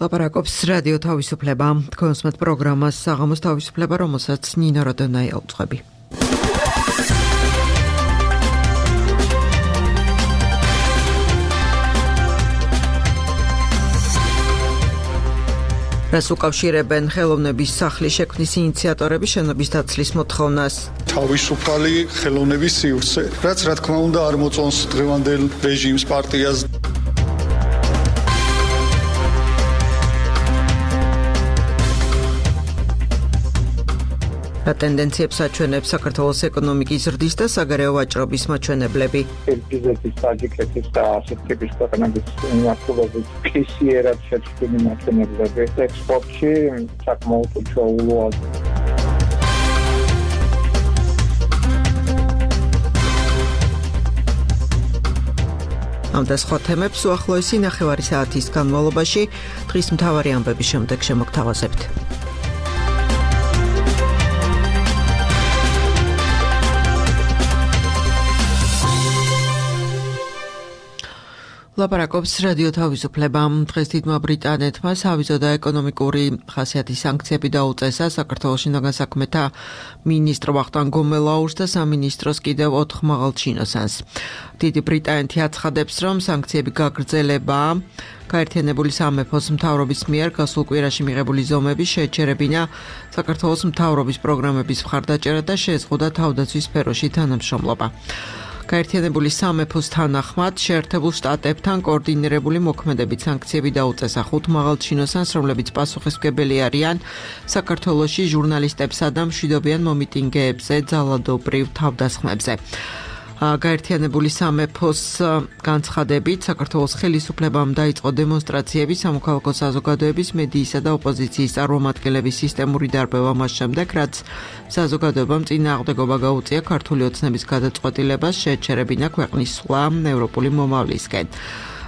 ლაპარაკობს რადიო თავისუფლება. თქვენსმეთ პროგრამას საღამოს თავისუფლება, რომელსაც ნინა როდონაია უძღვები. რას უკავშირებენ ხელოვნების სახლის შექმნის ინიციატორები შენობის დაცლის მოთხოვნას? თავისუფალი ხელოვნების სივრცე, რაც რა თქმა უნდა არ მოწონს დღევანდელ რეჟიმს, პარტიას. რა ტენდენციებს აჩვენებს საქართველოს ეკონომიკის ზრდის და საგარეო ვაჭრობის მაჩვენებლები? კირგიზეთის, ტაჯიკეთის და ასეთ ტიპის ქვეყნების მიმართულებით ფიქსიერად შეჭრილი მაჩვენებლები ექსპორტში საკმაოდ უჩვეულოა. ამ და სხვა თემებს უახლოესი ნახევარი საათის განმავლობაში დღის მთავარი ამბების შემდეგ შემოგთავაზებთ. ლაპარაკობს რადიო თავისუფლება. დღეს დიდმა ბრიტანეთმა სავიზო და ეკონომიკური ხასიათის სანქციები დაუწესა საქართველოს შინაგან საქმეთა მინისტრ ვახტანგ გომელაურს და სამინისტროს კიდევ 4 მაღალჩინოსანს. დიდი ბრიტანეთი აცხადებს, რომ სანქციები გაგრძელებაა. გაერთიანებული სამეფოს მთავრობის მიერ გასულ კვირაში მიღებული ზომები შეეჩერებინა საქართველოს მთავრობის პროგრამების მხარდაჭერა და შეეზღუდა თავდაცვის სფეროში თანამშრომლობა. გაერთიანებული სამეფოს თანახმად შეერთებულ შტატებთან კოორდინირებული მოქმედებით სანქციები დაუწესა 5 მაღალჩინოსანს, რომლებიც პასუხისმგებელი არიან საქართველოში ჟურნალისტებსა და მშვიდობიან მომიტინგეებზე ძალადობრივ თავდასხმებზე. გაერთიანებული სამეფოს განცხადებით საქართველოს ხელისუფლებამ დაიწყო დემონსტრაციები სამოქალაქო საზოგადოების, მედიისა და ოპოზიციის წარმომადგენლების სისტემური დარბევა მას შემდეგ, რაც საზოგადოებამ წინააღმდეგობა გაუწია ქართული ოცნების გადაწყვეტილებას შეეჩერებინა ქვეყნის სხვა ევროპული მომავლისკენ.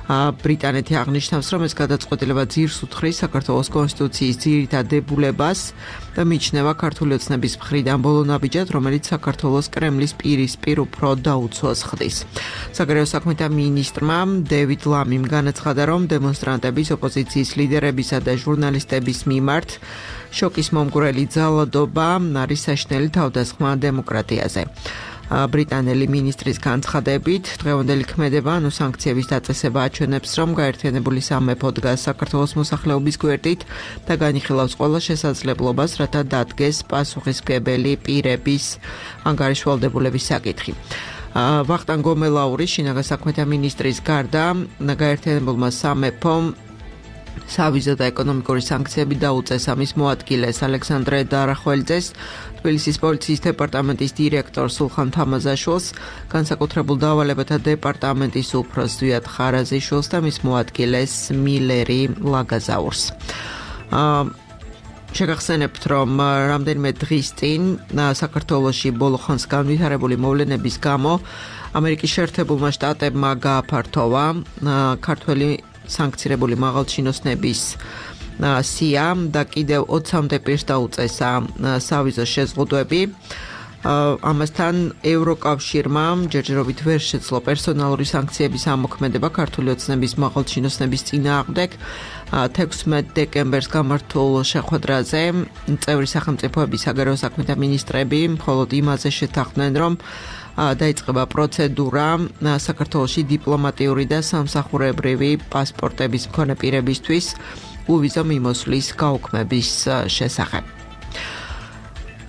ბრიტანეთი აღნიშნავს, რომ ეს გადაწყვეტილება ძირს უთხრის საქართველოს კონსტიტუციის ძირითად დებულებას და მიიჩნევა ქართული ოცნების მხრიდან ბოლო ნაბიჯად, რომელიც საქართველოს კრემლის პირისპირ უფრო დაუცვას ხდის. საგარეო საქმეთა მინისტრმა დევიდ ლამიმ განაცხადა, რომ დემონსტრანტების, ოპოზიციის ლიდერებისა და ჟურნალისტების მიმართ შოკის მომგვრელი ძალადობა არის საშინელი თავდასხმა დემოკრატიაზე. ბრიტანელი მინისტრის განცხადებით, დღევანდელი ქმედება, სანქციების დაწესება აჩვენებს, რომ გაერთიანებული სამეფო დგას საქართველოს მოსახლეობის გვერდით და განიხილავს ყველა შესაძლებლობას, რათა დადგეს პასუხისმგებელი პირების ანგარიშვალდებულების საკითხი. ვახტანგ გომელაურის შინაგან საქმეთა მინისტრის გარდა გაერთიანებულმა სამეფომ სავიზო და ეკონომიკური სანქციები დაუწესა მის მოადგილეს ალექსანდრე დარახველძეს, თბილისის პოლიციის დეპარტამენტის დირექტორ სულხან თამაზაშვილს, განსაკუთრებულ დავალებათა დეპარტამენტის უფროს ზვიად ხარაზიშვილს და მის მოადგილეს მილერი ლაგაზაურს. შეგახსენებთ, რომ რამდენიმე დღის წინ საქართველოში ბოლო ხანს განვითარებული მოვლენების გამო ამერიკის შეერთებულმა შტატებმა გააფართოვა ქართველი სანქცირებული მაღალჩინოსნების სია და კიდევ 20-მდე პირს დაუწესა სავიზო შეზღუდვები. ამასთან ევროკავშირმა ჯერჯერობით ვერ შეძლო პერსონალური სანქციების ამოქმედება ქართული ოცნების მაღალჩინოსნების წინააღმდეგ. 16 დეკემბერს გამართულ შეხვედრაზე წევრი სახელმწიფოების საგარეო საქმეთა მინისტრები მხოლოდ იმაზე შეთანხმდნენ, რომ დაიწყება პროცედურა საქართველოში დიპლომატიური და სამსახურებრივი პასპორტების მქონე პირებისთვის უვიზო მიმოსვლის გაუქმების შესახებ.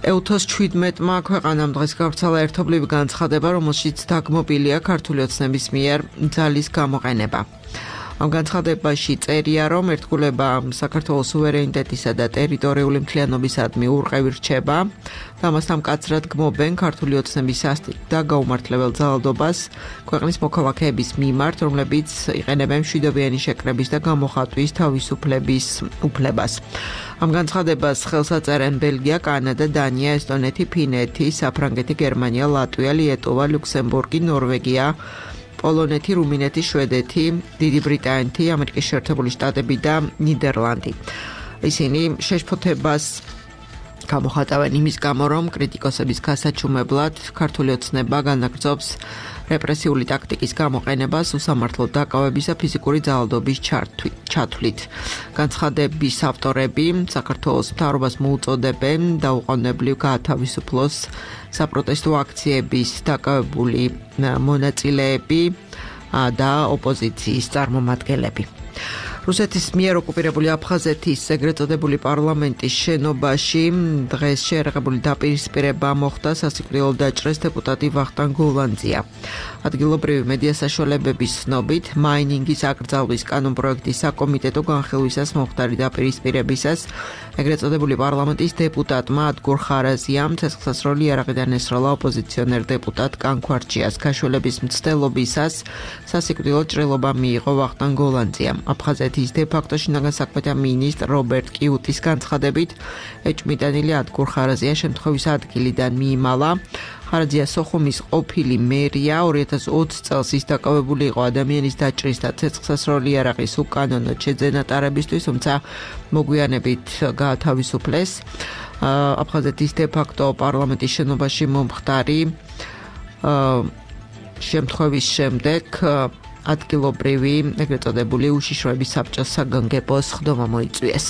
EUTOS 17-მა ქვეყანამ დღეს გავრცელა ერთობლივი განცხადება, რომელშიც დაგმობილია ქართული ოცნების მიერ ძალის გამოყენება. ამ განცხადებაში წერია, რომ ერთგულება საქართველოს სუვერენიტეტისა და ტერიტორიული მთლიანობისადმი ურყევი რჩება და ამასთან მკაცრად გმობენ ქართული ოცნების სასტიკ და გაუმართლებელ ძალადობას ქვეყნის მოქალაქეების მიმართ, რომლებიც იყენებენ მშვიდობიანი შეკრების და გამოხატვის თავისუფლების უფლებას. ამ განცხადებას ხელს აწერენ ბელგია, კანადა, დანია, ესტონეთი, ფინეთი, საფრანგეთი, გერმანია, ლატვია, ლიეტუვა, ლუქსემბურგი, ნორვეგია, პოლონეთი, რუმინეთი, შვედეთი, დიდი ბრიტანეთი, ამერიკის შეერთებული შტატები და ნიდერლანდი. ისინი შეშფოთებას გამოხატავენ იმის გამო, რომ კრიტიკოსების გასაჩუმებლად ქართული ოცნება განაგრძობს რეპრესიული ტაქტიკის გამოყენებას უსამართლოდ დაკავებისა ფიზიკური ძალადობის ჩათვლით. განცხადების ავტორები საქართველოს მთავრობას მოუწოდებენ დაუყოვნებლივ გაათავისუფლოს საპროტესტო აქციების დაკავებული მონაწილეები და ოპოზიციის წარმომადგენლები. რუსეთის მიერ ოკუპირებული აფხაზეთის ეგრეთ წოდებული პარლამენტის შენობაში დღეს შეერაღებული დაპირისპირება მოხდა სასიკვდილოდ დაჭრეს დეპუტატი ვახტანგ გოლანძია. ადგილობრივი მედია საშუალებების ცნობით, მაინინგის აკრძალვის კანონპროექტის საკომიტეტო განხილვისას მომხდარი დაპირისპირებისას ეგრეთ წოდებული პარლამენტის დეპუტატმა ადგურ ხარაზიამ ცეცხლსასროლი იარაღიდან ესროლა ოპოზიციონერ დეპუტატ კანქვარჩიას. გაშველების მცდელობისას სასიკვდილო ჭრილობა მიიღო ვახტანგ გოლანძიამ. აფხაზეთის დე-ფაქტო შინაგან საქმეთა მინისტრ რობერტ კიუტის განცხადებით, ეჭვმიტანილი ადგურ ხარაზია შემთხვევის ადგილიდან მიიმალა. ხარაზია სოხუმის ყოფილი მერია 2020 წელს ის დაკავებული იყო ადამიანის დაჭრის და ცეცხლსასროლი იარაღის უკანონოდ შეძენატარებისთვის, თუმცა მოგვიანებით გაათავისუფლეს. აფხაზეთის დე-ფაქტო პარლამენტის შენობაში მომხდარი შემთხვევის შემდეგ ადგილობრივი ეგრეთ წოდებული უშიშროების საბჭოს საგანგებოს ხდომა მოიწვიეს.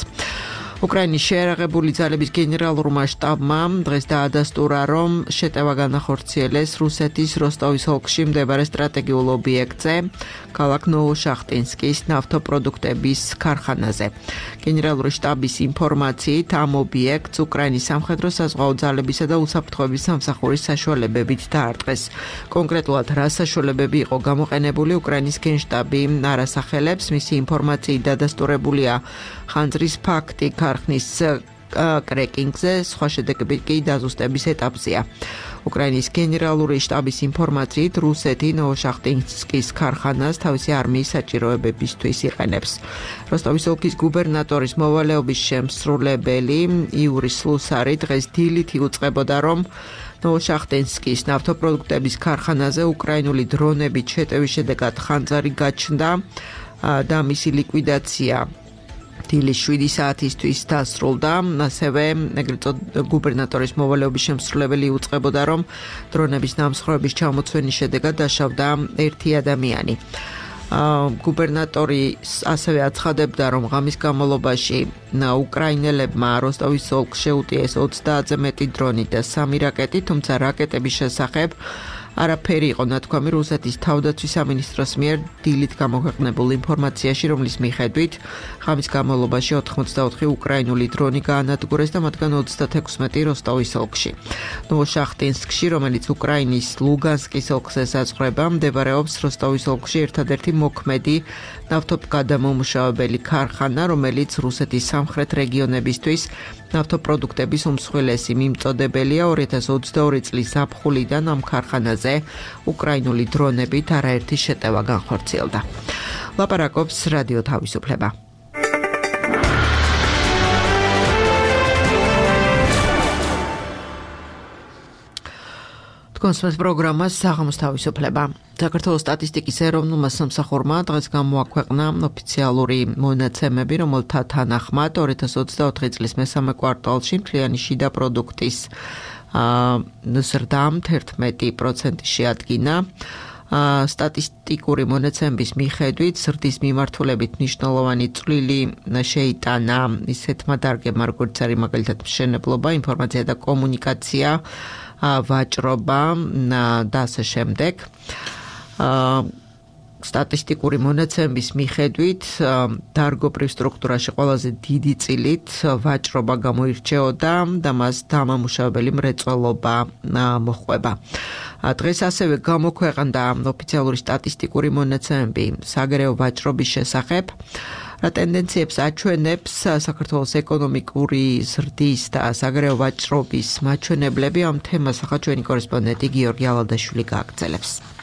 უკრაინის შეერაღებული ძალების გენერალურმა შტაბმა დღეს დაადასტურა, რომ შეტევა განახორციელეს რუსეთის როსტოვის ოლქში მდებარე სტრატეგიულ ობიექტზე, ქალაქ ნოვოშახტინსკის ნავთობპროდუქტების ქარხანაზე. გენერალური შტაბის ინფორმაციით, ამ ობიექტს უკრაინის სამხედრო საზღვაო ძალებისა და უსაფრთხოების სამსახურის საშუალებებით დაარტყეს. კონკრეტულად რა საშუალებები იყო გამოყენებული, უკრაინის გენშტაბი არ ასახელებს. მისი ინფორმაციით დადასტურებულია ხანძრის ფაქტი ქარხნის კრეკინგზე, სხვა შედეგები კი დაზუსტების ეტაპზეა. უკრაინის გენერალური შტაბის ინფორმაციით, რუსეთი ნოვოშახტინსკის ქარხანას თავისი არმიის საჭიროებებისთვის იყენებს. როსტოვის ოლქის გუბერნატორის მოვალეობის შემსრულებელი იური სლუსარი დღეს დილით იუწყებოდა, რომ ნოვოშახტინსკის ნავთობპროდუქტების ქარხანაზე უკრაინული დრონებით შეტევის შედეგად ხანძარი გაჩნდა და მისი ლიკვიდაცია დილის 7 საათისთვის დასრულდა. ასევე გუბერნატორის მოვალეობის შემსრულებელი უწყებოდა, რომ დრონების დამსხვრევების ჩამოცვენის შედეგად დაშავდა ერთი ადამიანი. გუბერნატორი ასევე აცხადებდა, რომ ღამის განმავლობაში უკრაინელებმა როსტოვის ოლქს შეუტიეს 30-ზე მეტი დრონი და 3 რაკეტი, თუმცა რაკეტების შესახებ არაფერი იყო ნათქვამი რუსეთის თავდაცვის სამინისტროს მიერ დილით გამოქვეყნებულ ინფორმაციაში, რომლის მიხედვით ღამის განმავლობაში 84 უკრაინული დრონი გაანადგურეს და მათგან 36 როსტოვის ოლქში. ნოვოშახტინსკში, რომელიც უკრაინის ლუგანსკის ოლქს ესაზღვრება, მდებარეობს როსტოვის ოლქში ერთადერთი მოქმედი ნავთობგადამამუშავებელი ქარხანა, რომელიც რუსეთის სამხრეთ რეგიონებისთვის ნავთობპროდუქტების უმსხვილესი მიმწოდებელია. 2022 წლის ზაფხულიდან ამ ქარხანაზე უკრაინული დრონებით არაერთი შეტევა განხორციელდა. ლაპარაკობს რადიო თავისუფლება. კონსპект პროგრამას საღამოს თავისუფლება. საქართველოს სტატისტიკის ეროვნულმა სამსახურმა დღეს გამოაქვეყნა ოფიციალური მონაცემები, რომელთა თანახმად 2024 წლის მესამე კვარტალში მთლიანი შიდა პროდუქტის ზრდა 11% შეადგინა. სტატისტიკური მონაცემების მიხედვით ზრდის მიმართულებით მნიშვნელოვანი წვლილი შეიტანა ისეთმა დარგებმა, როგორც არის მაგალითად მშენებლობა, ინფორმაცია და კომუნიკაცია, ვაჭრობა და ასე შემდეგ. სტატისტიკური მონაცემების მიხედვით დარგობრივ სტრუქტურაში ყველაზე დიდი წილით ვაჭრობა გამოირჩეოდა და მას დამამუშავებელი მრეწველობა მოჰყვება. დღეს ასევე გამოქვეყნდა ოფიციალური სტატისტიკური მონაცემები საგარეო ვაჭრობის შესახებ. ტენდენციებს აჩვენებს საქართველოს ეკონომიკური ზრდის და საგარეო ვაჭრობის მაჩვენებლები. ამ თემას ახლა ჩვენი კორესპონდენტი გიორგი ალადაშვილი გააგრძელებს.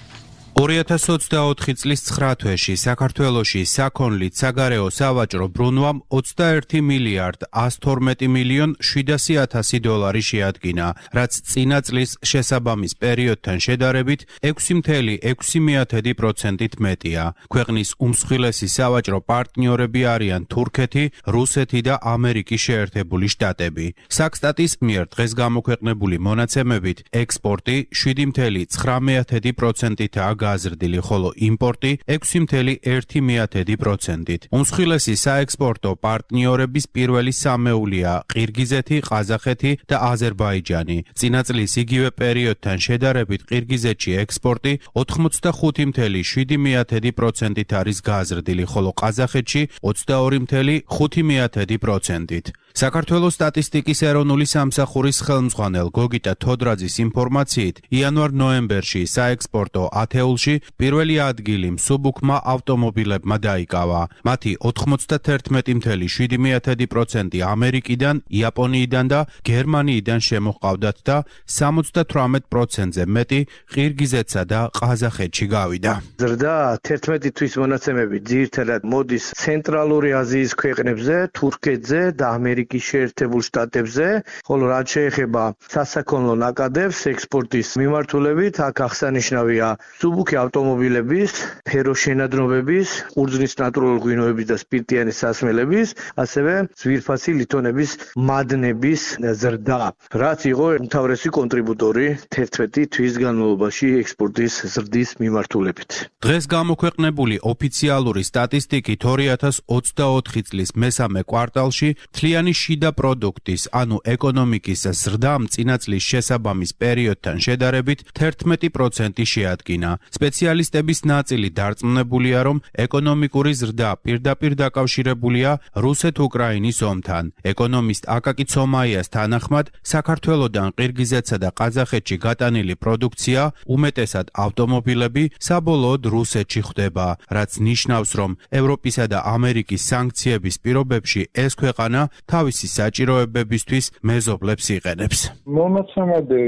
2024 წლის 9 თვეში საქართველოში საქონლით საგარეო სავაჭრო ბრუნვამ 21 მილიარდ 112 მილიონ 700 დოლარი შეადგინა, რაც წინა წლის შესაბამის პერიოდთან შედარებით 6.6%-ით მეტია. ქვეყნის უმსხვილესი სავაჭრო პარტნიორები არიან თურქეთი, რუსეთი და ამერიკის შეერთებული შტატები. საქსტატის მიერ დღეს გამოქვეყნებული მონაცემებით ექსპორტი 7.9%-ით გაზრდილი, ხოლო იმპორტი 6.1%-ით. უმსხვილესი საექსპორტო პარტნიორების პირველი სამეულია ყირგიზეთი, ყაზახეთი და აზერბაიჯანი. წინა წლის იგივე პერიოდთან შედარებით ყირგიზეთში ექსპორტი 85.7%-ით არის გაზრდილი, ხოლო ყაზახეთში 22.5%-ით. საქართველოს სტატისტიკის ეროვნული სამსახურის ხელმძღვანელ გოგიტა თოდრაძის ინფორმაციით, იანვარ-ნოემბერში საექსპორტო ათეულში პირველი ადგილი მსუბუქმა ავტომობილებმა დაიკავა. მათი 91.7% ამერიკიდან, იაპონიიდან და გერმანიიდან შემოჰყავდათ და 78%-ზე მეტი ყირგიზეთსა და ყაზახეთში გავიდა. ზრდა 11 თვის მონაცემები ძირითადად მოდის ცენტრალური აზიის ქვეყნებზე, თურქეთზე და ამერიკის შეერთებულ შტატებზე, ხოლო რაც შეეხება სასაქონლო ნაკადებს ექსპორტის მიმართულებით, აქ აღსანიშნავია მსუბუქი ავტომობილების, ფეროშენადნობების, ყურძნის ნატურალური ღვინოების და სპირტიანი სასმელების, ასევე ძვირფასი ლითონების მადნების ზრდა, რაც იყო უმთავრესი კონტრიბუტორი 11 თვის განმავლობაში ექსპორტის ზრდის მიმართულებით. დღეს გამოქვეყნებული ოფიციალური სტატისტიკით 2024 წლის მესამე კვარტალში მთლიანი შიდა პროდუქტის, ანუ ეკონომიკის ზრდამ წინა წლის შესაბამის პერიოდთან შედარებით 11% შეადგინა. სპეციალისტების ნაწილი დარწმუნებულია, რომ ეკონომიკური ზრდა პირდაპირ დაკავშირებულია რუსეთ-უკრაინის ომთან. ეკონომისტ აკაკი ცომაიას თანახმად, საქართველოდან ყირგიზეთსა და ყაზახეთში გატანილი პროდუქცია, უმეტესად ავტომობილები, საბოლოოდ რუსეთში ხვდება, რაც ნიშნავს, რომ ევროპისა და ამერიკის სანქციების პირობებში ეს ქვეყანა თავისი საჭიროებებისთვის მეზობლებს იყენებს. მონაცემები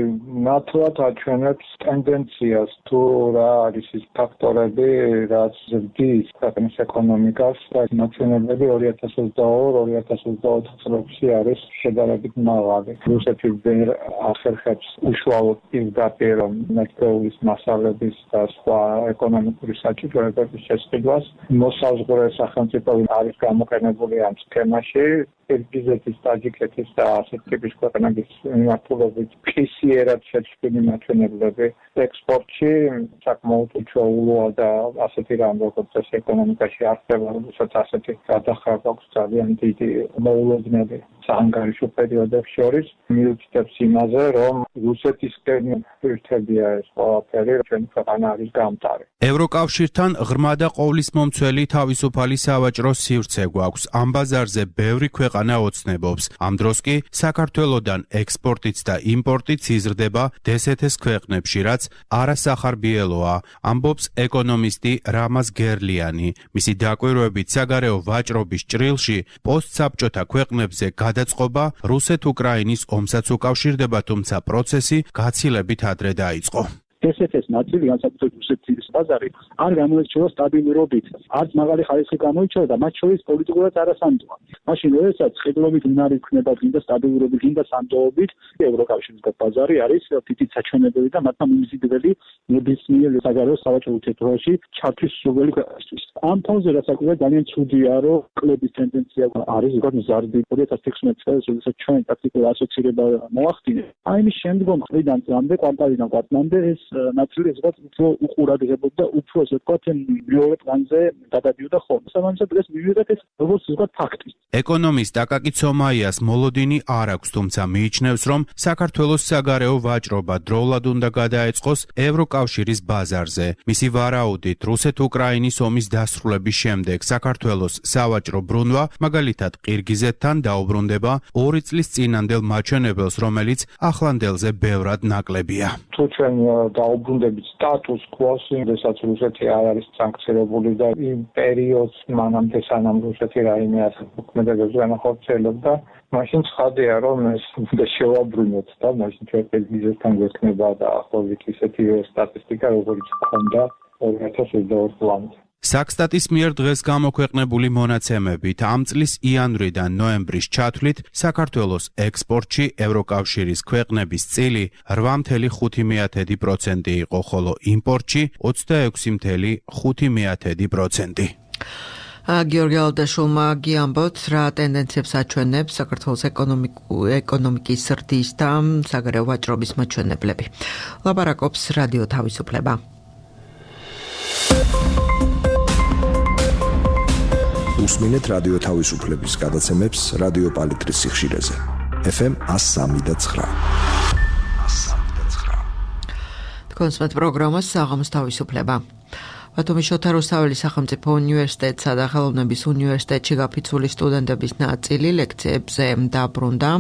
ნათლად აჩვენებს ტენდენციას, თუ რა არის ის ფაქტორები, რაც ზრდის ქვეყნის ეკონომიკას და ნაცნობები 2022-2024 წლებში არის შედარებით მაღალი. რუსეთი ვერ ახერხებს უშუალოდ პირდაპირ მეთქეულის მასალების და სხვა ეკონომიკური საჭიროებების შესყიდვას. მოსაზღვრე სახელმწიფოები არის გამოყენებული ამ სქემაში. ყირგიზეთის, ტაჯიკეთის და ასეთ ტიპის ქვეყნების მიმართულებით ფიქსიერად შეჭრილი მაჩვენებლები ექსპორტში საკმაოდ უჩვეულოა და ასეთი რამ როგორც ეს ეკონომიკაში არსება, როდესაც ასეთი გადახრება აქვს ძალიან დიდი მოულოდნელი საანგარიშო პერიოდებს შორის, მიუთითებს იმაზე, რომ რუსეთისკენ ერთებია ეს ყველაფერი, ჩვენი ქვეყანა არის გამტარი. ევროკავშირთან ღრმა და ყოვლისმომცველი თავისუფალი სავაჭრო სივრცე გვაქვს. ამ ბაზარზე ბევრი ქვეყანა ოცნებობს. ამ დროს კი საქართველოდან ექსპორტიც და იმპორტიც იზრდება დსთ-ს ქვეყნებში, რაც არასახარბიელოა, ამბობს ეკონომისტი რამაზ გერლიანი. მისი დაკვირვებით საგარეო ვაჭრობის ჭრილში პოსტსაბჭოთა ქვეყნებზე გადაწყობა რუსეთ-უკრაინის ომსაც უკავშირდება, თუმცა პროცესი გაცილებით ადრე დაიწყო. დსთ-ს ნაწილი, განსაკუთრებით რუსეთის ბაზარი, არ გამოირჩევა სტაბილურობით, არც მაღალი ხარისხი გამოირჩევა და მათ შორის პოლიტიკურად არასანდოა. მაშინ, როდესაც ყიდულობით უნარი ქნება გინდა სტაბილურობით, გინდა სანდოობით, ევროკავშირის ბაზარი არის თითით საჩვენებელი და მათმა მიმზიდველი ნებისმიერ საგარეო სავაჭრო ურთიერთობებში ჩართვის სრული ქვეყნისთვის. ამ ფონზე რასაკვირველია ძალიან ცუდია, რომ კლების ტენდენცია არის ზოგადად მზარდი 2016 წელს, როდესაც ჩვენ პრაქტიკულად ასოცირება მოახდინე. აი მის შემდგომ წლიდან წლამდე, კვარტალიდან კვარტალამდე ეს ნაწილი ზოგადად უფრო უყურადღებობდა და უფრო ასე ვთქვათ მეორე პლანზე გადადიოდა ხოლმე. სამაგისად დღეს მივიღეთ ეს როგორც ზოგადად ფაქტი. ეკონომისტ აკაკი ცომაიას მოლოდინი არ აქვს, თუმცა მიიჩნევს, რომ საქართველოს საგარეო ვაჭრობა დროულად უნდა გადაეწყოს ევროკავშირის ბაზარზე. მისი ვარაუდით, რუსეთ-უკრაინის ომის დასრულების შემდეგ საქართველოს სავაჭრო ბრუნვა, მაგალითად ყირგიზეთთან დაუბრუნდება 2 წლის წინანდელ მაჩვენებელს, რომელიც ახლანდელზე ბევრად ნაკლებია. თუ ჩვენ დაუბრუნდებით სტატუს quo-ს, როდესაც რუსეთი არ არის სანქცირებული და იმ პერიოდს მანამდე სანამ რუსეთი რაიმე ასეთ მოქმედებებზე განახორციელებდა, მაშინ ცხადია, რომ ეს უნდა შევაბრუნოთ და მაშინ ჩვენ ყირგიზეთთან გვექნება და ახლობით ისეთი სტატისტიკა, როგორც ჰქონდა 2022 წლამდე. საქსტატის მიერ დღეს გამოქვეყნებული მონაცემებით ამ წლის იანვრიდან ნოემბრის ჩათვლით საქართველოს ექსპორტში ევროკავშირის ქვეყნების წილი 8.5% იყო, ხოლო იმპორტში 26.5%. გიორგი ალდაშულმა გიამბოთ, რა ტენდენციებს აჩვენებს საქართველოს ეკონომიკის ზრდის და საგარეო ვაჭრობის მაჩვენებლები. ლაპარაკობს რადიო თავისუფლება. უსმინეთ რადიო თავისუფლების გადაცემებს რადიო პალიტრის სიხშირეზე. FM 103.9. თქვენს პროგრამას საღამოს თავისუფლება. ბათუმის შოთა რუსთაველის სახელმწიფო უნივერსიტეტსა და ხელოვნების უნივერსიტეტში გაფიცული სტუდენტების ნაწილი ლექციებზე დაბრუნდა.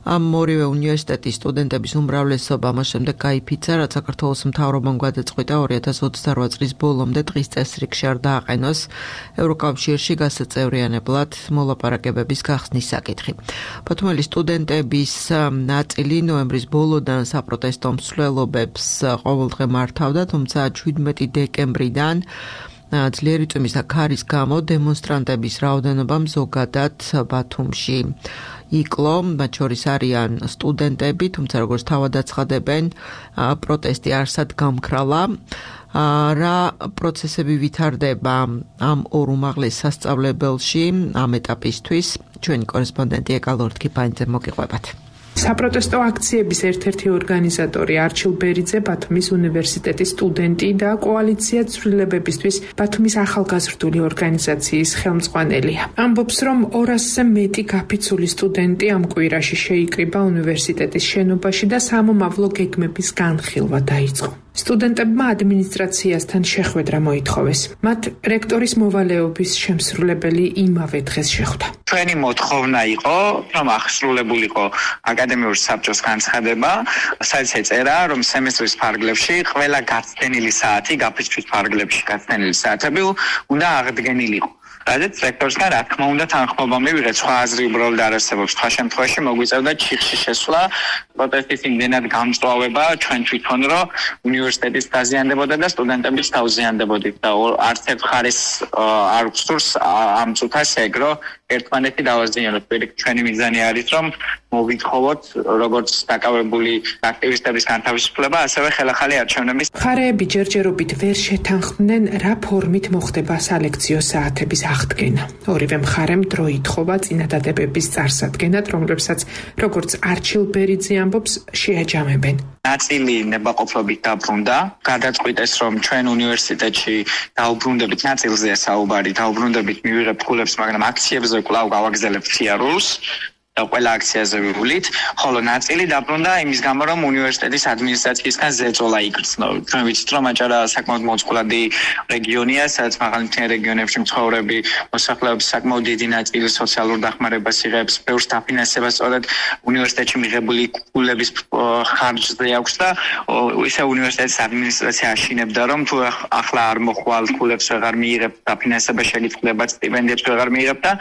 ამ ორივე უნივერსიტეტის სტუდენტების უმრავლესობა მას შემდეგ გაიფიცა, რაც საქართველოს მთავრობამ გადაწყვიტა 2028 წლის ბოლომდე დღის წესრიგში არ დააყენოს ევროკავშირში გასაწევრიანებლად მოლაპარაკებების გახსნის საკითხი. ბათუმელი სტუდენტების ნაწილი ნოემბრის ბოლოდან საპროტესტო მსვლელობებს ყოველდღე მართავდა, თუმცა 17 დეკემბრიდან ძლიერი წვიმის და ქარის გამო დემონსტრანტების რაოდენობა ზოგადად ბათუმში იკლო, მათ შორის არიან სტუდენტები, თუმცა როგორც თავად აცხადებენ, პროტესტი არსად გამქრალა. რა პროცესები ვითარდება ამ ორ უმაღლეს სასწავლებელში ამ ეტაპისთვის, ჩვენი კორესპონდენტი ეკალორთქი პანიძე მოგიყვებათ. საპროტესტო აქციების ერთ-ერთი ორგანიზატორი არჩილ ბერიძე, ბათუმის უნივერსიტეტის სტუდენტი და კოალიცია ცვლილებებისთვის ბათუმის ახალგაზრდული ორგანიზაციის ხელმძღვანელია. ამბობს, რომ 200-ზე მეტი გაფიცული სტუდენტი ამ კვირაში შეიკრიბა უნივერსიტეტის შენობაში და სამომავლო გეგმების განხილვა დაიწყო. სტუდენტებმა ადმინისტრაციასთან შეხვედრა მოითხოვეს. მათ რექტორის მოვალეობის შემსრულებელი იმავე დღეს შეხვდა. ჩვენი მოთხოვნა იყო, რომ აღსრულებულიყო აკადემიური საბჭოს განცხადება, სადაც ეწერა, რომ სემესტრის ფარგლებში ყველა გაცდენილი საათი, გაფიცვის ფარგლებში გაცდენილი საათები უნდა აღდგენილიყო. რადგან რექტორისგან რა თქმა უნდა თანხმობა მივიღეთ, სხვა აზრი უბრალოდ არ არსებობს. სხვა შემთხვევაში მოგვიწევდა ჩიხში შესვლა, პროტესტის იმდენად გამწვავება ჩვენ თვითონ, რომ უნივერსიტეტის დაზიანდებოდა და სტუდენტებიც დაუზიანდებოდით და არც ერთ მხარეს არ გსურს ამ წუთას ეგრო ერთმანეთი დავაზიანოთ. ჩვენი მიზანი არის, რომ მოვითხოვოთ როგორც დაკავებული აქტივისტების განთავისუფლება, ასევე ხელახალი არჩევნების. მხარეები ჯერჯერობით ვერ შეთანხმდნენ, რა ფორმით მოხდება სალექციო საათების აღდგენა. ორივე მხარემ დრო ითხოვა წინადადებების წარსადგენად, რომლებსაც როგორც არჩილ ბერიძე ამბობს, შეაჯამებენ. ნაწილი ნებაყოფლობით დაბრუნდა, გადაწყვიტეს, რომ ჩვენ უნივერსიტეტში დაუბრუნდებით, ნაწილზეა საუბარი, დაუბრუნდებით მივიღებთ ფულებს, მაგრამ აქციებზე კვლავ გავაგზავნებთ სიარულს. და ყველა აქციაზე ვივლით, ხოლო ნაწილი დაბრუნდა იმის გამო, რომ უნივერსიტეტის ადმინისტრაციისგან ზეწოლა იგრძნო. ჩვენ ვიცით, რომ აჭარა საკმაოდ მოწყვლადი რეგიონია, სადაც მაღალმთიან რეგიონებში მცხოვრები მოსახლეობის საკმაოდ დიდი ნაწილი სოციალურ დახმარებას იღებს, ბევრს დაფინანსება სწორედ უნივერსიტეტში მიღებული ფულების ხარჯზე აქვს და ისე უნივერსიტეტის ადმინისტრაცია აშინებდა, რომ თუ ახლა არ მოხვალ ფულებს ვეღარ მიიღებთ, დაფინანსება შეგიძლიათ, სტიპენდიებს ვეღარ მიიღებთ და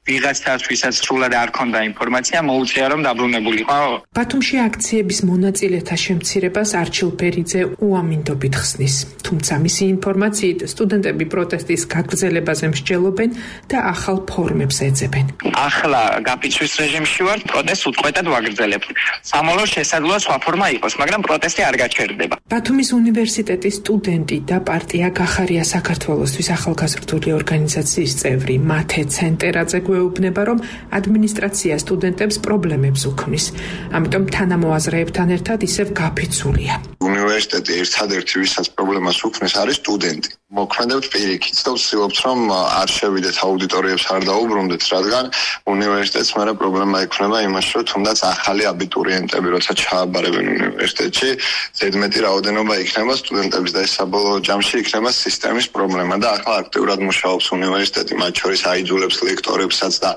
ვიღაცას ვისაც სრულად არ ქონდა ინფორმაცია მოუწია რომ დაბრუნებულიყო. ბათუმში აქციების მონაწილეთა შემცირებას არჩილ ბერიძე უამინდობით ხსნის. თუმცა მისი ინფორმაციით სტუდენტები პროტესტის გაგრძელებაზე მსჯელობენ და ახალ ფორმებს ეძებენ. ახლა გაფიცვის რეჟიმში ვართ, პროტესტს უწყვეტად ვაგრძელებთ. სამალო შესაძლოა სხვა ფორმა იყოს, მაგრამ პროტესტი არ გაჩერდება. ბათუმის უნივერსიტეტის სტუდენტი და პარტია გახარია საქართველოსთვის ახალგაზრდული ორგანიზაციის წევრი მათე ცენტერაძე გვეუბნება, რომ ადმინისტრაცია სტუდენტებს პრობლემებს უქმნის. ამიტომ თანამოაზრეებთან ერთად ისევ გაფიცულია. უნივერსიტეტი ერთადერთი ვისაც პრობლემას უქმნის არის სტუდენტი. მოქმედებთ პირიქით და ვცდილობთ რომ არ შევიდეთ აუდიტორიებს არ დაუბრუნდეთ, რადგან უნივერსიტეტს მერე პრობლემა ექნება იმაში, რომ თუნდაც ახალი აბიტურიენტები როცა ჩააბარებენ უნივერსიტეტში, ზედმეტი რაოდენობა იქნება სტუდენტების და ეს საბოლოო ჯამში იქნება სისტემის პრობლემა და ახლა აქტიურად მუშაობს უნივერსიტეტი, მათ შორის აიძულებს ლექტორებსაც და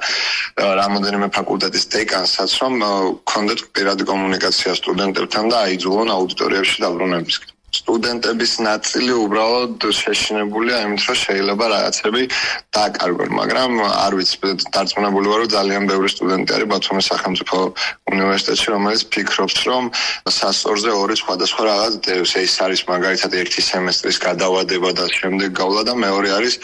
რამოდენიმე ფაკულტეტის დეკანსაც, რომ ქონდეთ პირადი კომუნიკაცია სტუდენტებთან და აიძულონ აუდიტორიებში დაბრუნებისკენ. სტუდენტების ნაწილი უბრალოდ შეშინებულია იმით, რომ შეიძლება რაღაცები დააკარგონ, მაგრამ არ ვიცი, დარწმუნებული ვარ, რომ ძალიან ბევრი სტუდენტი არის ბათუმის სახელმწიფო უნივერსიტეტში, რომელიც ფიქრობს, რომ სასწორზე ორი სხვადასხვა რაღაც დევს. ეს არის მაგალითად ერთი სემესტრის გადავადება და შემდეგ გავლა და მეორე არის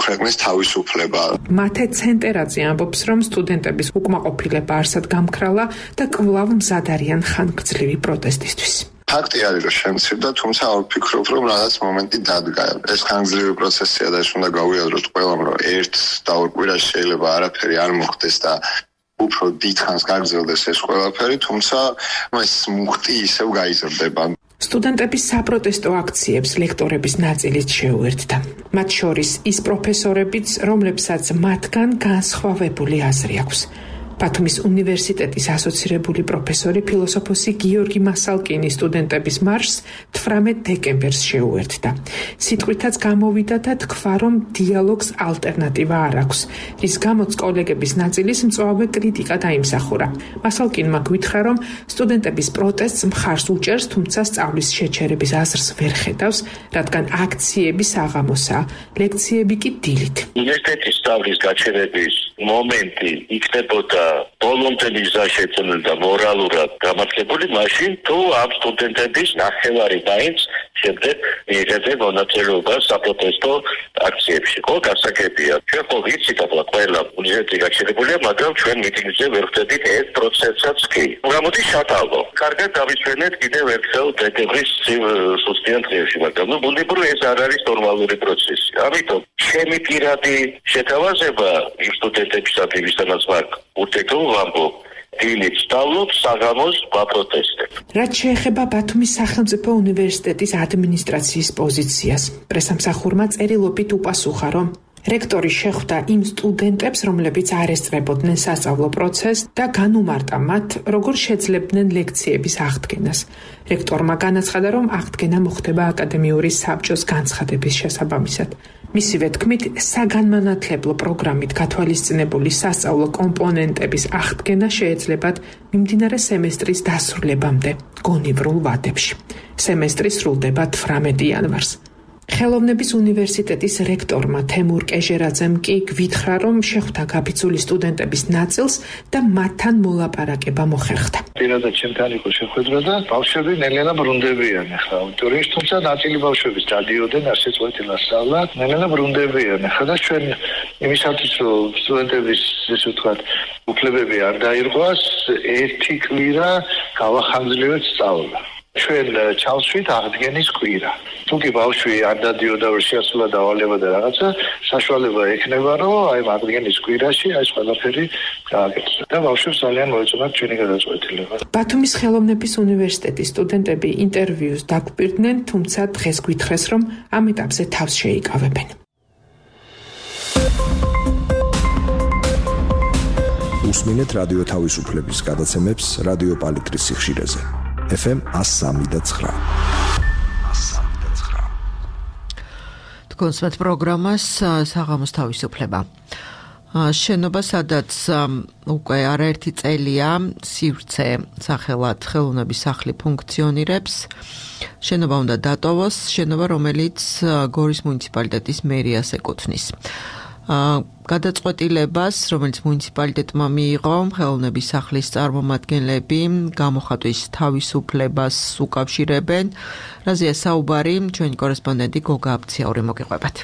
ქვეყნის თავისუფლება. მათე ცენტერაძე ამბობს, რომ სტუდენტების უკმაყოფილება არსად გამქრალა და კვლავ მზად არიან ხანგრძლივი პროტესტისთვის. ფაქტი არის, რომ შემცირდა, თუმცა არ ვფიქრობ, რომ რაღაც მომენტი დადგა. ეს ხანგრძლივი პროცესია და ეს უნდა გავიაზროთ ყველამ, რომ ერთ და ორ კვირაში შეიძლება არაფერი არ მოხდეს და უფრო დიდ ხანს გაგრძელდეს ეს ყველაფერი, თუმცა ეს მუხტი ისევ გაიზრდება. სტუდენტების საპროტესტო აქციებს ლექტორების ნაწილიც შეუერთდა. მათ შორის ის პროფესორებიც, რომლებსაც მათგან განსხვავებული აზრი აქვს. ბათუმის უნივერსიტეტის ასოცირებული პროფესორი ფილოსოფოსი გიორგი მასალკინი სტუდენტების მარშს 18 დეკემბერს შეუერთდა. სიტყვითაც გამოვიდა და თქვა, რომ დიალოგს ალტერნატივა არ აქვს, რის გამოც კოლეგების ნაწილის მწვავე კრიტიკა დაიმსახურა. მასალკინმა გვითხრა, რომ სტუდენტების პროტესტს მხარს უჭერს, თუმცა სწავლის შეჩერების აზრს ვერ ხედავს, რადგან აქციები საღამოსაა, ლექციები კი დილით. უნივერსიტეტის სწავლის გაჩერების მომენტი იქნებოდა ბოლომდე მიზა შეცვლილ მორალურად გამართლებული, მაშინ თუ ამ სტუდენტების ნახევარი მაინც შემდეგ მიიღებენ მონაწილეობას საპროტესტო აქციებში. ხო, გასაგებია. ჩვენ ხო ვიცით, ახლა ყველა უნივერსიტეტი გაჩერებულია, მაგრამ ჩვენ მიტინგზე ვერ ვხვდებით ეს პროცესაც კი. გამოდი შატალო. კარგად დავისვენეთ კიდევ ერთხელ დეკემბრის სუსტიან დღეებში, მაგრამ ბუნებრივი ეს არ არის ნორმალური პროცესი. ამიტომ ჩემი პირადი შეთავაზება იმ სტუდენტებისათვის, ვისაც მაგ ურთიერთო ვამბობ, დილით სწავლობ, საღამოს ვაპროტესტებ. რაც შეეხება ბათუმის სახელმწიფო უნივერსიტეტის ადმინისტრაციის პოზიციას, პრესამსახურმა წერილობით უპასუხა, რომ რექტორი შეხვდა იმ სტუდენტებს, რომლებიც არ ესწრებოდნენ სასწავლო პროცესს და განუმარტა მათ, როგორ შეძლებდნენ ლექციების აღდგენას. რექტორმა განაცხადა, რომ აღდგენა მოხდება აკადემიური საბჭოს განცხადების შესაბამისად. მისივე თქმით, საგანმანათლებლო პროგრამით გათვალისწინებული სასწავლო კომპონენტების აღდგენა შეეძლებათ მიმდინარე სემესტრის დასრულებამდე გონივრულ ვადებში. სემესტრი სრულდება 18 იანვარს. ხელოვნების უნივერსიტეტის რექტორმა თემურ კეჟერაძემ კი გვითხრა, რომ შეხვდა გაბიძული სტუდენტების ნაწილს და მათთან მოლაპარაკება მოხერხდა. პირადად ჩემთან იყო შეხვედრა და ბავშვები ნელ-ნელა ბრუნდებიან ახლა აუდიტორიაში, თუმცა ნაწილი ბავშვების დადიოდნენ ასეც ვეთილასწავლა, ნელ-ნელა ბრუნდებიან ახლა და ჩვენ იმისათვის რომ სტუდენტების ესე ვთქვათ უფლებები არ დაირღვას, ერთი კვირა გავახანგრძლივეთ სწავლა. ჩვენ ჩავსვით აღდგენის კვირა. თუკი ბავშვი არ დადიოდა შეასრულა დავალება და რაღაცა, საშუალება ექნება, რომ აი აღდგენის კვირაში ეს ყველაფერი გააკეთოს. და ბავშვებს ძალიან მოეწონათ ჩვენი გადაწყვეტილება. ბათუმის ხელოვნების უნივერსიტეტის სტუდენტები ინტერვიუს დაგვპირდნენ, თუმცა დღეს გვითხრეს, რომ ამ ეტაპზე თავს შეიკავებენ. უსმინეთ რადიო თავისუფლების გადაცემებს რადიო პალიტრის სიხშირეზე. FM 103.9. კონსერტ პროგრამას საღამოს თავისუფლება. შენობა, სადაც უკვე არაერთი წელია სივრცე სახელად ხელოვნების სახლი ფუნქციონირებს. შენობა უნდა დატოვოს, შენობა, რომელიც გორის მუნიციპალიტეტის მერიას ეკუთვნის. გადაწყვეტილებას, რომელიც მუნიციპალიტეტმა მიიღო, ხელოვნების სახლის წარმომადგენლები გამოხატვის თავისუფლებას უკავშირებენ. რაზეა საუბარი, ჩვენი კორესპონდენტი გოგა აბციური მოგიყვებათ.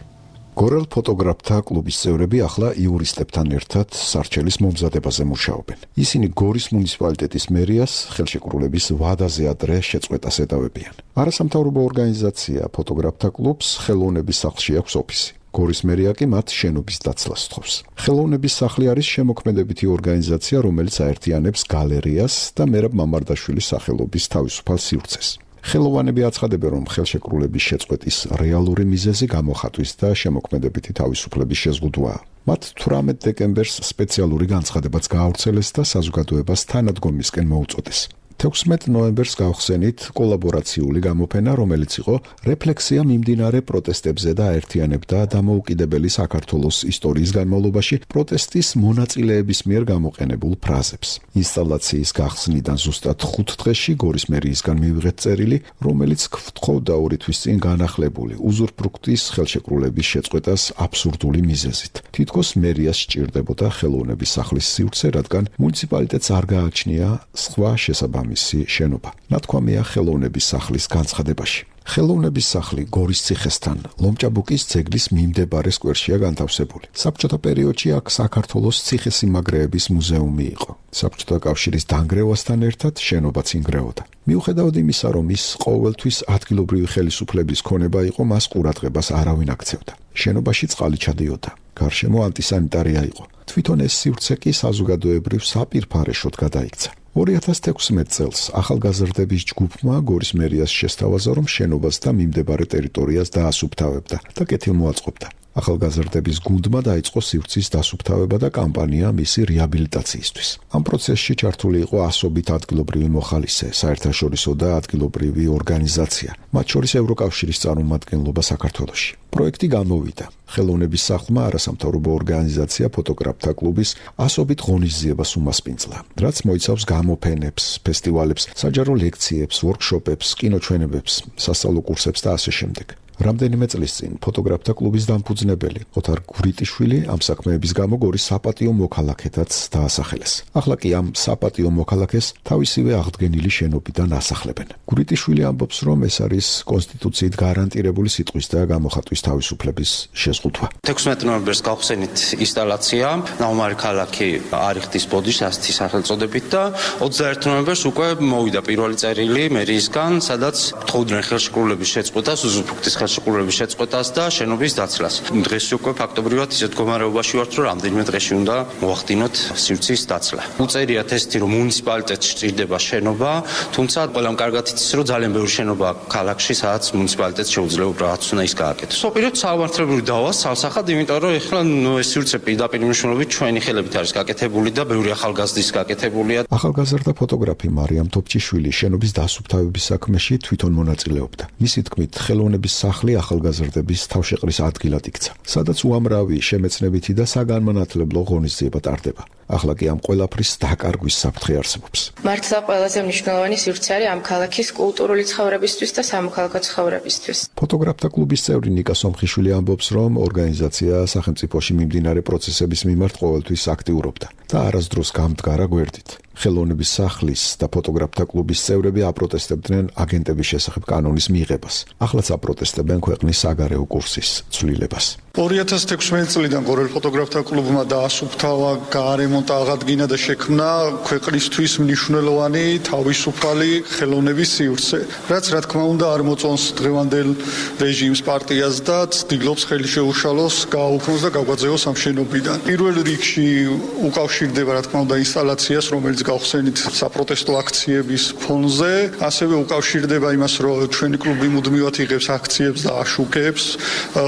გორელ ფოტოგრაფთა კლუბის წევრები ახლა იურისტებთან ერთად სარჩელის მომზადებაზე მუშაობენ. ისინი გორის მუნიციპალიტეტის მერიას ხელშეკრულების ვადაზე ადრე შეწყვეტას ეტავებიან. არასამთავრობო ორგანიზაცია ფოტოგრაფთა კლუბს ხელოვნების სახლში აქვს ოფისი. გორის მერია კი მათ შენობის დაცლას სთხოვს. ხელოვნების სახლი არის შემოქმედებითი ორგანიზაცია, რომელიც აერთიანებს გალერეას და მერაბ მამარდაშვილის სახელობის თავისუფალ სივრცეს. ხელოვანები აცხადებენ, რომ ხელშეკრულების შეწყვეტის რეალური მიზეზი გამოხატვის და შემოქმედებითი თავისუფლების შეზღუდვაა. მათ 18 დეკემბერს სპეციალური განცხადებაც გაავრცელეს და საზოგადოებას თანადგომისკენ მოუწოდეს. 16 ნოემბერს გავხსენით კოლაბორაციული გამოფენა, რომელიც იყო რეფლექსია მიმდინარე პროტესტებზე და აერთიანებდა დამოუკიდებელი საქართველოს ისტორიის განმავლობაში პროტესტის მონაწილეების მიერ გამოყენებულ ფრაზებს. ინსტალაციის გახსნიდან ზუსტად 5 დღეში გორის მერიისგან მივიღეთ წერილი, რომელიც გვთხოვდა 2 თვის წინ განახლებული უზურპრუქტის ხელშეკრულების შეწყვეტას აბსურდული მიზეზით. თითქოს მერიას სჭირდებოდა ხელოვნების სახლის სივრცე, რადგან მუნიციპალიტეტს არ გააჩნია სხვა შესაბამისი შენობა. ნათქვამია ხელოვნების სახლის განცხადებაში. ხელოვნების სახლი გორის ციხესთან, ლომჭაბუკის ძეგლის მიმდებარე სკვერშია განთავსებული. საბჭოთა პერიოდში აქ საქართველოს ციხესიმაგრეების მუზეუმი იყო. საბჭოთა კავშირის დანგრევასთან ერთად შენობაც ინგრეოდა. მიუხედავად იმისა, რომ ის ყოველთვის ადგილობრივი ხელისუფლების ქონება იყო, მას ყურადღებას არავინ აქცევდა. შენობაში წყალი ჩადიოდა. გარშემო ანტისანიტარია იყო. თვითონ ეს სივრცე კი საზოგადოებრივ საპირფარეშოდ გადაიქცა. 2016 წელს ახალგაზრდების ჯგუფმა გორის მერიას შესთავაზა, რომ შენობას და მიმდებარე ტერიტორიას დაასუფთავებდა და კეთილმოაწყობდა. ახალგაზრდების გუნდმა დაიწყო სივრცის დასუფთავება და კამპანია მისი რეაბილიტაციისთვის. ამ პროცესში ჩართული იყო ასობით ადგილობრივი მოხალისე, საერთაშორისო და ადგილობრივი ორგანიზაცია, მათ შორის ევროკავშირის წარმომადგენლობა საქართველოში. პროექტი გამოვიდა. ხელოვნების სახლმა არასამთავრობო ორგანიზაცია ფოტოგრაფთა კლუბის ასობით ღონისძიებას უმასპინძლა, რაც მოიცავს გამოფენებს, ფესტივალებს, საჯარო ლექციებს, ვორქშოპებს, კინოჩვენებებს, სასწავლო კურსებს და ასე შემდეგ. რამდენიმე წლის წინ ფოტოგრაფთა კლუბის დამფუძნებელი ოთარ გვრიტიშვილი ამ საქმეების გამო გორის საპატიო მოქალაქეთაც დაასახელეს. ახლა კი ამ საპატიო მოქალაქეს თავისივე აღდგენილი შენობიდან ასახლებენ. გვრიტიშვილი ამბობს, რომ ეს არის კონსტიტუციით გარანტირებული სიტყვის და გამოხატვის თავისუფლების შეზღუდვა. 16 ნოემბერს გავხსენით ინსტალაცია, ნაუმარი ქალაქი არიხტის ბოდიშ ასეთი სახელწოდებით და 21 ნოემბერს უკვე მოვიდა პირველი წერილი მერიისგან, სადაც თხოვდნენ ხელშეკრულების შეწყვეტას, უზურპრუქტის ხელშეკრულების შეწყვეტას და შენობის დაცლას. დღეს უკვე ფაქტობრივად ისეთ მდგომარეობაში ვართ, რომ რამდენიმე დღეში უნდა მოვახდინოთ სივრცის დაცლა. უწერიათ ესეთი, რომ მუნიციპალიტეტში სჭირდება შენობა, თუმცა ყველამ კარგად იცის, რომ ძალიან ბევრი შენობა ქალაქში, სადაც მუნიციპალიტეტს შეუძლია უბრალოდ უნდა ის გააკეთოს. საპიროთ საავადმყოფლური დავას სალსახად, იმიტომ რომ ეხლა ეს სივრცე პირდაპირ მნიშვნელობით ჩვენი ხელებით არის გაკეთებული და ბევრი ახალგაზრდის გაკეთებულია. ახალგაზრდა ფოტოგრაფი მარიამ თოფჭიშვილი შენობის დასუფთავების საქმეში თვითონ მონაწილეობდა. მისი თქმით, ხელოვნების სახლი ახალგაზრდების თავშეყრის ადგილად იქცა, სადაც უამრავი შემეცნებითი და საგანმანათლებლო ღონისძიება ტარდება. ახლა კი ამ ყველაფრის დაკარგვის საფრთხე არსებობს. მართლა ყველაზე მნიშვნელოვანი სივრცე არის ამ ქალაქის კულტურული ცხოვრებისთვის და სამოქალაქო ცხოვრებისთვის. ფოტოგრაფთა კლუბის წევრი ნიკა სომხიშვილი ამბობს, რომ ორგანიზაცია სახელმწიფოში მიმდინარე პროცესების მიმართ ყოველთვის აქტიურობდა და არასდროს გამდგარა გვერდით. ხელოვნების სახლის და ფოტოგრაფთა კლუბის წევრები აპროტესტებდნენ აგენტების შესახებ კანონის მიღებას. ახლაც აპროტესტებენ ქვეყნის საგარეო კურსის ცვლილებას. 2016 წლიდან გორელ ფოტოგრაფთა კლუბმა დაასუფთავა, გაარემონტა, აღადგინა და შექმნა ქვეყნისთვის მნიშვნელოვანი თავისუფალი ხელოვნების სივრცე, რაც რა თქმა უნდა არ მოწონს დღევანდელ რეჟიმს, პარტიას და ცდილობს ხელი შეუშალოს, გააუქმოს და გაგვაძევოს ამ შენობიდან. პირველ რიგში უკავშირდება რა თქმა უნდა ინსტალაციას, რომელიც გავხსენით საპროტესტო აქციების ფონზე, ასევე უკავშირდება იმას, რომ ჩვენი კლუბი მუდმივად იღებს აქციებს და აშუქებს.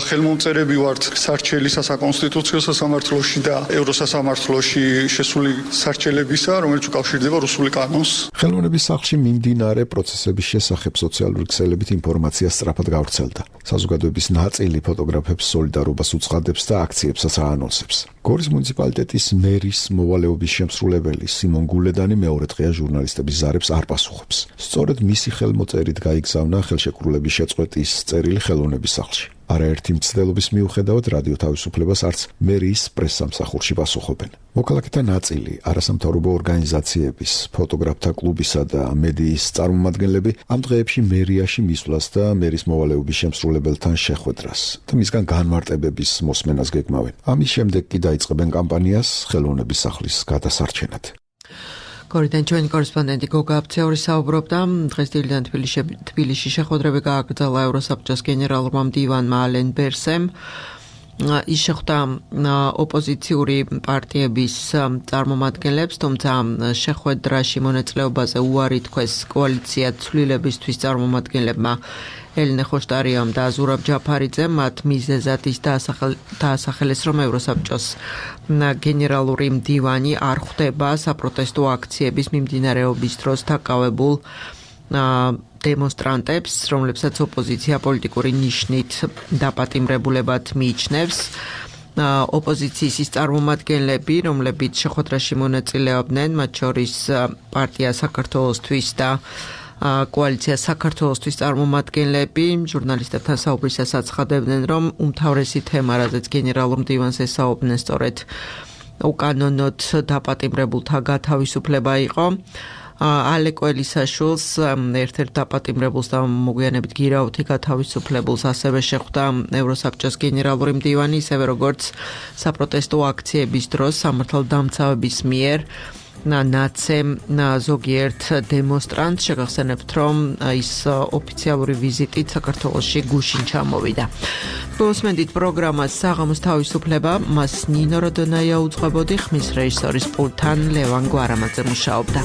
ხელმომწერები ვართ სარჩელი საკონსტიტუციო სასამართლოში და ევროსასამართლოში შესული სარჩელებისა, რომელიც უკავშირდება რუსული კანონს. ხელოვნების სახლში მიმდინარე პროცესების შესახებ სოციალური ქსელებით ინფორმაცია სწრაფად გავრცელდა. საზოგადოების ნაწილი ფოტოგრაფებს სოლიდარობას უცხადებს და აქციებსაც აანონსებს. გორის მუნიციპალიტეტის მერის მოვალეობის შემსრულებელი სიმონ გულედანი მეორე დღეა ჟურნალისტების ზარებს არ პასუხობს. სწორედ მისი ხელმოწერით გაიგზავნა ხელშეკრულების შეწყვეტის წერილი ხელოვნების სახლში. არაერთი მცდელობის მიუხედავად რადიო თავისუფლებას არც მერიის პრესსამსახურში პასუხობენ. მოქალაქეთა ნაწილი, არასამთავრობო ორგანიზაციების, ფოტოგრაფთა კლუბისა და მედიის წარმომადგენლები ამ დღეებში მერიაში მისვლას და მერის მოვალეობის შემსრულებელთან შეხვედრას და მისგან განმარტებების მოსმენას გეგმავენ. ამის შემდეგ კი დაიწყებენ კამპანიას ხელოვნების სახლის გადასარჩენად. გორიდან ჩვენი კორესპონდენტი გოგა აბცეური საუბრობდა. დღეს დილიდან თბილისში შეხვედრები გააგრძელა ევროსაბჭოს გენერალურმა მდივანმა ალენ ბერსემ. ის შეხვდა ოპოზიციური პარტიების წარმომადგენლებს, თუმცა შეხვედრაში მონაწილეობაზე უარი თქვეს კოალიცია ცვლილებისთვის წარმომადგენლებმა ელენე ხოშტარიამ და ზურაბ ჯაფარიძემ მათ მიზეზად ის დაასახელეს, რომ ევროსაბჭოს გენერალური მდივანი არ ხვდება საპროტესტო აქციების მიმდინარეობის დროს დაკავებულ დემონსტრანტებს, რომლებსაც ოპოზიცია პოლიტიკური ნიშნით დაპატიმრებულებად მიიჩნევს. ოპოზიციის ის წარმომადგენლები, რომლებიც შეხვედრაში მონაწილეობდნენ, მათ შორის პარტია საქართველოსთვის და კოალიცია საქართველოსთვის წარმომადგენლები, ჟურნალისტებთან საუბრისას აცხადებდნენ, რომ უმთავრესი თემა, რაზეც გენერალურ მდივანს ესაუბრნენ, სწორედ უკანონოდ დაპატიმრებულთა გათავისუფლება იყო. ალეკო ელისაშვილს ერთ-ერთ დაპატიმრებულს და მოგვიანებით გირაუთი გათავისუფლებულს ასევე შეხვდა ევროსაბჭოს გენერალური მდივანი, ისევე როგორც საპროტესტო აქციების დროს სამართალდამცავების მიერ ნაცემ ზოგიერთ დემონსტრანტს შეგახსენებთ, რომ ის ოფიციალური ვიზიტით საქართველოში გუშინ ჩამოვიდა. მოსმენთ პროგრამას საღამოს თავისუფლება, მას ნინო როდონაია უძღვებოდი, ხმის რეჟისორის პულტთან ლევან გვარამაძე მუშაობდა.